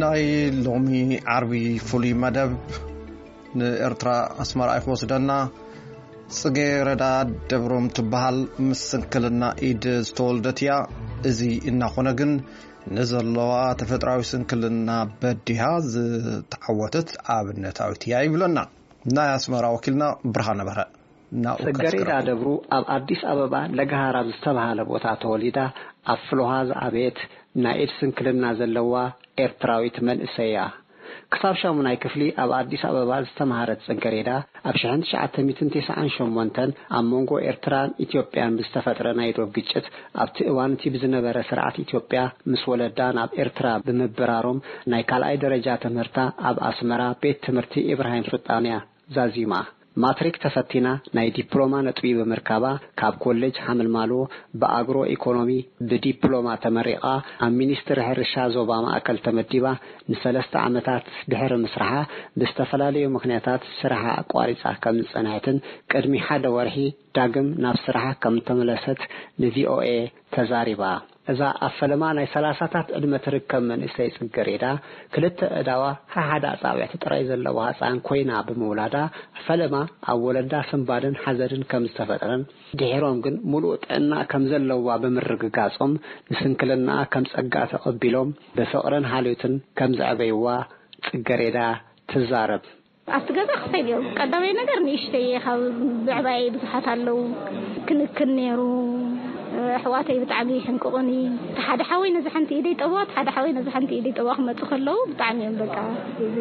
ናይ ሎሚ ዓርቢ ፍሉይ መደብ ንኤርትራ ኣስመራ እዩ ክወስደና። ጽጌ ረዳ ደብሮም ትበሃል፣ ምስ ስንክልና ኢድ ዝተወልደት እያ። እዚ እናኾነ ግን ንዘለዋ ተፈጥራዊ ስንክልና በዲሃ ዝተዓወተት ኣብነታዊት እያ ይብለና ናይ ኣስመራ ወኪልና ብርሃነ በርሀ። ናብኡ ጽገሬዳ ከስክረኩም። ደብሩ ኣብ ኣዲስ ኣበባ ለገሃር ኣብ ዝተባሃለ ቦታ ተወሊዳ ኣብ ፍልውሃ ዝዓበየት ናይ ኢድ ስንክልና ዘለዋ ኤርትራዊት መንእሰይ እያ። ክሳብ ሻሙናይ ክፍሊ ኣብ ኣዲስ ኣበባ ዝተምሃረት ጽገሬዳ ኣብ ሽሕን ትሽዓተ ሚእትን ተስዓን ሸሞንተን ኣብ መንጎ ኤርትራን ኢትዮጵያን ብዝተፈጥረ ናይ ዶብ ግጭት ኣብቲ እዋን እቲ ብዝነበረ ስርዓት ኢትዮጵያ ምስ ወለዳ ናብ ኤርትራ ብምብራሮም ናይ ካልኣይ ደረጃ ትምህርታ ኣብ ኣስመራ ቤት ትምህርቲ ኢብራሂም ሱልጣን እያ ዛዚማ። ማትሪክ ተፈቲና ናይ ዲፕሎማ ነጥቢ ብምርካባ ካብ ኮሌጅ ሓመልማሎ ብኣግሮ ኢኮኖሚ ብዲፕሎማ ተመሪቓ ኣብ ሚኒስትሪ ሕርሻ ዞባ ማእከል ተመዲባ ንሰለስተ ዓመታት ድሕሪ ምስራሓ ብዝተፈላለዩ ምኽንያታት ስራሓ ኣቋሪጻ ከም ዝጸንሐትን ቅድሚ ሓደ ወርሒ ዳግም ናብ ስራሓ ከም ተመለሰት ንቪኦኤ ተዛሪባ። እዛ ኣብ ፈለማ ናይ ሰላሳታት ዕድመ ትርከብ መንእሰይ ጽገሬዳ ክልተ ኣእዳዋ ሓሓደ ኣጻብዕቲ ጥራይ ዘለዋ ህጻን ኮይና ብምውላዳ ፈለማ ኣብ ወለዳ ስንባድን ሓዘንን ከም ዝተፈጥረን ድሒሮም ግን ምሉእ ጥዕና ከም ዘለዋ ብምርግጋጾም ንስንክልናኣ ከም ጸጋ ተቐቢሎም ብፍቕርን ሓልዮትን ከም ዘዕበይዋ ጽገሬዳ ትዛረብ። ኣብቲ ገዛ ክልተ ድዮም ቀዳማይ ነገር ንእሽተይ እየ ካብ ብዕባየይ ብዙሓት ኣለዉ ክንክን ነይሩ። ኣሕዋተይ ብጣዕሚ ይሕንቅቑኒ። እቲ ሓደ ሓወይ ነዚ ሓንቲ ኢደይ ጠብዋ እቲ ሓደ ሓወይ ነዚ ሓንቲ ኢደይ ጠብዋ ክመፁ ከለዉ ብጣዕሚ እዮም በቃ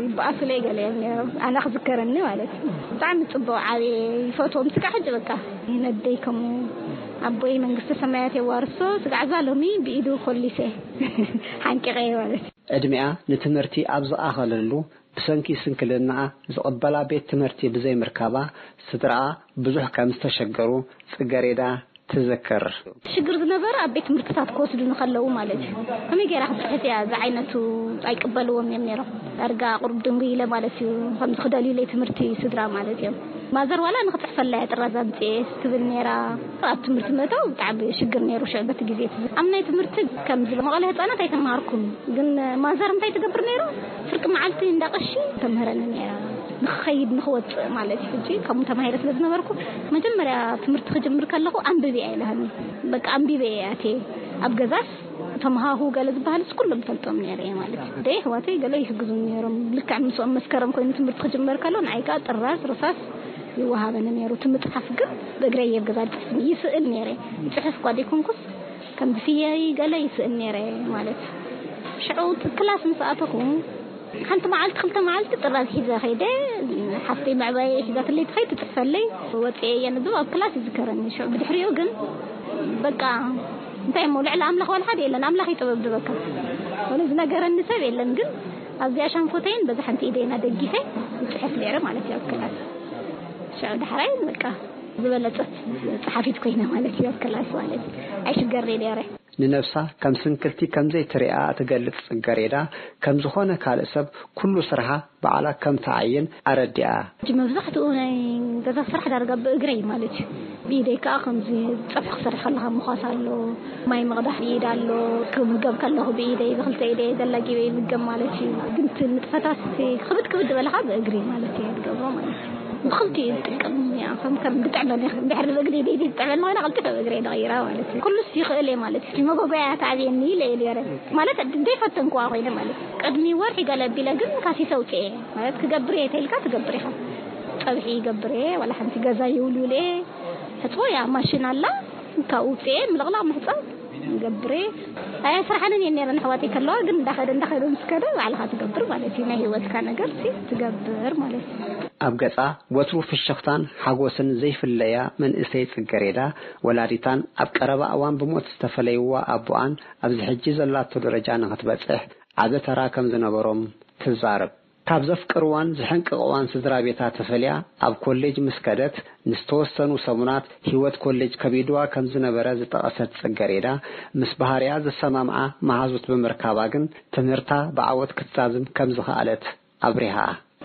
ይበኣሱለይ ገለ እዮም ነይሮም ኣነ ክዝከረኒ ማለት እዩ። ብጣዕሚ ፅቡቕ ዓብየ ይፈትዎም ስጋዕ ሕጂ በቃ ነደይ ከምኡ ኣቦይ መንግስተ ሰማያት የዋርሶ ስጋዕ እዛ ሎሚ ብኢዱ ኮሊሰ ሓንቂቐ ማለት እዩ። ዕድሚኣ ንትምህርቲ ኣብ ዝኣኸለሉ ብሰንኪ ስንክልናኣ ዝቕበላ ቤት ትምህርቲ ብዘይምርካባ ስድራኣ ብዙሕ ከም ዝተሸገሩ ጽገሬዳ ትዝክር። ሽግር ዝነበረ ኣብ ቤት ትምህርትታት ክወስዱኒ ከለዉ ማለት እዩ። ከመይ ገይራ ክትፅሕፍ እያ እዚ ዓይነቱ ኣይቅበልዎም እዮም ነይሮም። ዳርጋ ቁሩብ ድንጉ ኢለ ማለት እዩ ከምዚ ክደልዩለይ ትምህርቲ ስድራ ማለት እዮም። ማዘር ዋላ ንክፅሕፈላ እያ ጥራዝ ኣምፅኤ ትብል ነይራ። ኣብ ትምህርቲ ምእታው ብጣዕሚ ሽግር ነይሩ ሽዑ በቲ ግዜ እቲ ኣብ ናይ ትምህርቲ ከምዚ መቐለ ህፃናት ኣይተምሃርኩን ግን ማዘር እንታይ ትገብር ነይራ ፍርቂ መዓልቲ እንዳቐሺ ተምህረኒ ነይራ ንክኸይድ ንክወፅእ ማለት እዩ ሕጂ ከምኡ ተማሂረ ስለ ዝነበርኩ መጀመርያ ትምህርቲ ክጅምር ከለኹ ኣንብቢ ኣይልሃኒ በቃ ኣንቢበ እየ ኣትየ ኣብ ገዛስ ተምሃሁ ገለ ዝበሃልስ ኩሎም ፈልጦም ነይረ እየ ማለት እዩ ደይ ኣሕዋተይ ገለ ይሕግዙ ነይሮም ልክዕ ምስኦም መስከረም ኮይኑ ትምህርቲ ክጅመር ከሎ ንዓይ ከዓ ጥራዝ ርሳስ ይወሃበኒ ነይሩ እቲ ምፅሓፍ ግን ብእግረይ እየ ኣብ ገዛ ዝፅሕፍ ይስእል ነይረ ይፅሕፍ እኳ ዘይኮንኩስ ከም ብፍየይ ገለ ይስእል ነይረ ማለት ሽዑ ክላስ ምስ ኣተኹ ሓንቲ መዓልቲ ክልተ መዓልቲ ጥራዝ ሒዘ ከይደ ሓፍተይ መዕባየ ሒዛትለይ ትኸይድ ትፅሕፈለይ ወፅኤ እየ ንዝብ ኣብ ክላስ ይዝከረኒ ሽዑ ብድሕሪኡ ግን በቃ እንታይ እሞ ልዕሊ ኣምላኽ ዋላ ሓደ የለን ኣምላኽ ይጥበብ ዝበካ ወለ ዝነገረኒ ሰብ የለን ግን ኣብዚኣ ሻንኮተይን በዛ ሓንቲ ኢደይና ደጊፈ ይፅሕፍ ነይረ ማለት እዩ ኣብ ክላስ ሽዑ ዳሕራይ በቃ ዝበለፀት ፀሓፊት ኮይነ ማለት እዩ ኣብ ክላስ ማለት ኣይሽገር ነይረ ንነብሳ ከም ስንክልቲ ከም ዘይትሪኣ እትገልጽ ጽገሬዳ፣ ከም ዝኾነ ካልእ ሰብ ኩሉ ስርሓ ባዕላ ከም ትዓይን ኣረዲኣ። ሕጂ መብዛሕትኡ ናይ ገዛ ስራሕ ዳርጋ ብእግረይ ማለት እዩ። ብኢደይ ከኣ ከምዚ ጸብሒ ክሰርሕ ከለኻ ምዃስ ኣሎ፣ ማይ ምቕዳሕ ብኢድ ኣሎ፣ ክምገብ ከለኹ ብኢደይ፣ ብክልተ ኢደይ ዘላጊበ ይምገብ ማለት እዩ። ግን እቲ ንጥፈታት እቲ ክብድ ክብድ ዝበለ ከኣ ብእግሪ ማለት እየ ዝገብሮ ማለት እዩ። ብኽልቲኡ ዝጥቀም እያ። ከም ከም ዝጥዕመኒ እንድሕር ብእግሪ ድሕሪ ዝጥዕመኒ ኮይነ ቀልጢፈ ብእግሪ እየ ዝቕይራ ማለት እዩ። ኩሉስ ይኽእል እየ ማለት እዩ። መጎጎያ ተኣብየኒ ኢለ እየ ነይረ ማለት ዘይፈተንክዋ ኮይነ ማለት እዩ። ቅድሚ ወርሒ ገለ ኣቢለ ግን ካሲሰ ኣውፅኤ ማለት ክገብር እየ ተይልካ ትገብር ኢኻ። ፀብሒ ይገብር እየ ዋላ ሓንቲ ገዛ ይውልውል እየ። ሕፅቦ እያ ማሽን ኣላ ካብኡ ውፅኤ ምልቕላቕ ምሕፃብ ይገብር እየ። ኣያ ስራሓንን እየን ነይረን ኣሕዋተይ ከለዋ ግን እንዳኸደ እንዳኸደ ምስ ከደ ባዕልኻ ትገብር ማለት እዩ። ናይ ህይወትካ ነገር ሲ ትገብር ማለት እዩ። ኣብ ገጻ ወትሩ ፍሽኽታን ሓጎስን ዘይፍለያ መንእሰይ ጽገሬዳ፣ ወላዲታን ኣብ ቀረባ እዋን ብሞት ዝተፈለይዋ ኣቦኣን ኣብዚ ሕጂ ዘላቶ ደረጃ ንኽትበጽሕ ዓቢ ተራ ከም ዝነበሮም ትዛረብ። ካብ ዘፍቅርዋን ዝሕንቅቕዋን ስድራ ቤታ ተፈልያ ኣብ ኮሌጅ ምስ ከደት፣ ንዝተወሰኑ ሰሙናት ህይወት ኮሌጅ ከቢድዋ ከም ዝነበረ ዝጠቐሰት ጽገሬዳ፣ ምስ ባህርያ ዝሰማምዓ መሃዙት ብምርካባ ግን ትምህርታ ብዓወት ክትዛዝም ከም ዝኸኣለት ኣብሪሃ።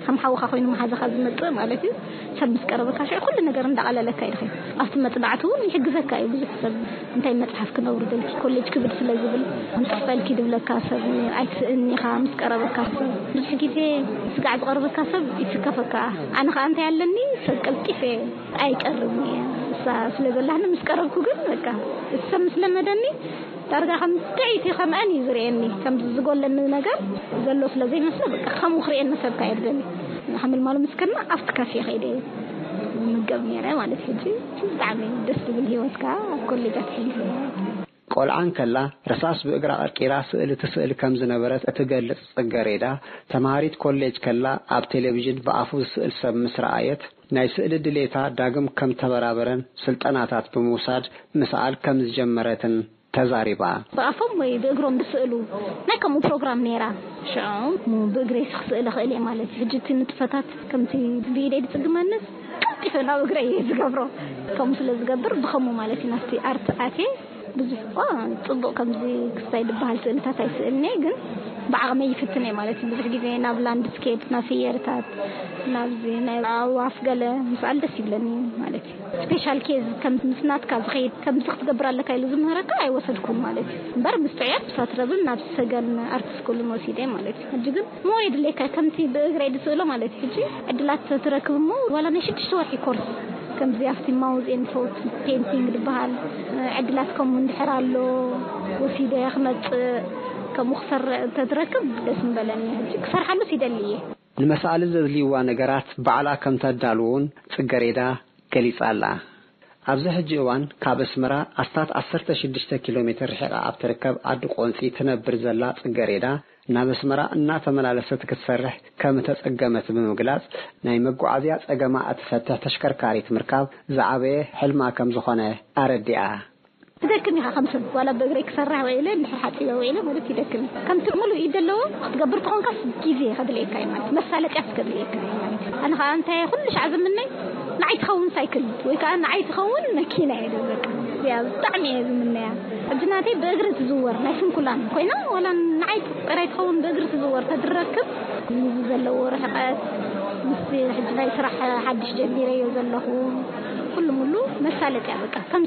ከም ሓውኻ ኮይኑ መሓዛኻ ዝመጽእ ማለት እዩ። ሰብ ምስ ቀረበካ ሽዑ ኩሉ ነገር እንዳቐለለካ ይድኸ። ኣብቲ መጽናዕቲ እውን ይሕግዘካ እዩ። ብዙሕ ሰብ እንታይ መጽሓፍ ክነውርደልኪ፣ ኮሌጅ ክብድ ስለ ዝብል፣ ንጥፈልኪ ድብለካ ሰብ ኣይትስእኒ ኢኻ። ምስ ቀረበካ ሰብ ብዙሕ ግዜ ስጋዕ ዝቐርበካ ሰብ ይስከፈካ። ኣነ ኸዓ እንታይ ኣለኒ፣ ሰብ ቀልጢፈ ኣይቀርብን እየ። እሳ ስለ ዘላኒ ምስ ቀረብኩ ግን በቃ፣ እቲ ሰብ ምስ ለመደኒ ዳርጋ ከም ጥዕይቲ ከምኣን እዩ ዝርእየኒ። ከም ዝጎለኒ ነገር ዘሎ ስለ ዘይመስሎ በቃ ከምኡ ክርእየኒ ሰብ ካየድለኒ። ሓምል ማሉ ምስ ከድና ኣብቲ ካፌ ከይደ ምገብ ነይረ ማለት። ሕጂ ብጣዕሚ ደስ ዝብል ህይወት ከዓ ኣብ ኮሌጃት ሕሊፈ። ቆልዓ እንከላ ረሳስ ብእግራ ቀርቂራ ስእሊ ትስእል ከም ዝነበረት እትገልጽ ጽገሬዳ፣ ተማሃሪት ኮሌጅ ከላ ኣብ ቴሌቪዥን ብኣፉ ዝስእል ሰብ ምስ ረኣየት ናይ ስእሊ ድሌታ ዳግም ከም ተበራበረን ስልጠናታት ብምውሳድ ምስኣል ከም ዝጀመረትን ተዛሪባ። ብኣፎም ወይ ብእግሮም ዝስእሉ ናይ ከምኡ ፕሮግራም ነይራ። ሽዑ ብእግረይ ክስእል እኽእል እየ ማለት እዩ። ሕጂ እቲ ንጥፈታት ከምቲ ብኢደይ ዝጽግመንስ ቀልጢፈ ናብ እግረይ እየ ዝገብሮ። ከምኡ ስለ ዝገብር ብኸምኡ ማለት እዩ ናብቲ ኣርት ኣትየ። ብዙሕ እኳ ጽቡቕ ከምዚ ክስታይ ዝበሃል ስእልታት ኣይስእልን እየ፣ ግን ብዓቕመይ ይፍትን እየ ማለት እዩ። ብዙሕ ግዜ ናብ ላንድስኬፕ፣ ናብ ፍየርታት፣ ናብዚ ናይ ኣዕዋፍ ገለ ምስኣል ደስ ይብለኒ ማለት እዩ። ስፔሻል ኬዝ ከም ምስ ናትካ ዝኸይድ ከምዚ ክትገብር ኣለካ ኢሉ ዝምህረካ ኣይወሰድኩን ማለት እዩ። እምበር ምስ ጥዑያት ብሳትረብን ናብ ሰገን ኣርት ስኩልን ወሲደ ማለት እዩ። ሕጂ ግን ሞር የድልየካ ከምቲ ብእግረይ ዝስእሎ ማለት እዩ። ሕጂ ዕድላት ትረክብ እሞ ዋላ ናይ ሽዱሽተ ወርሒ ኮርስ ከምዚ ኣብቲ ማውዝ ኤንድ ቶት ፔንቲንግ ዝበሃል ዕድላት ከምኡ እንድሕር ኣሎ ወሲደ ክመጽእ ከምኡ ክሰርዕ እንተትረክብ ደስ ምበለኒ። ሕጂ ክሰርሓሉስ ይደሊ እየ። ንመሳእሊ ዘድልይዋ ነገራት ባዕላ ከም ተዳልውን ጽገሬዳ ገሊጻ ኣላ። ኣብዚ ሕጂ እዋን ካብ ኣስመራ ኣስታት ዓሰርተ ሽዱሽተ ኪሎ ሜትር ርሒቓ ኣብ ትርከብ ዓዲ ቆንጺ ትነብር ዘላ ጽገሬዳ፣ ናብ ኣስመራ እናተመላለሰት ክትሰርሕ ከም እተጸገመት ብምግላጽ፣ ናይ መጓዓዝያ ጸገማ እትፈትሕ ተሽከርካሪት ምርካብ ዝዓበየ ሕልማ ከም ዝኾነ ኣረዲኣ። ትደክም ኢኻ ከም ሰብ፣ ዋላ ብእግረይ ክሰርሕ ውዒለ፣ እንድሕር ሓጺበ ውዒለ ማለት ይደክም እዩ። ከምቲ ሙሉእ ኢድ ዘለዎ ክትገብር ተኾንካስ ግዜ ከድልየካ እዩ ማለት፣ መሳለጥያስ ከድልየካ እዩ ማለት። ኣነ ኸዓ እንታይ ኩሉ ሻዕ ዝምነይ ንዓይ ትኸውን ሳይክል ወይ ከዓ ንዓይ ትኸውን መኪና እየ ዝብል። በቃ እዚኣ ብጣዕሚ እየ ዝምነያ። ሕጂ ናተይ ብእግሪ ትዝወር ናይ ስንኩላን ኮይና፣ ዋላ ንዓይ ጥራይ ትኸውን ብእግሪ ትዝወር ተድረክብ፣ ንዚ ዘለዎ ርሕቀት፣ ምስቲ ሕጂ ናይ ስራሕ ሓድሽ ጀሚረዮ ዘለኹ፣ ኩሉ ሙሉ መሳለጥያ በቃ። ከም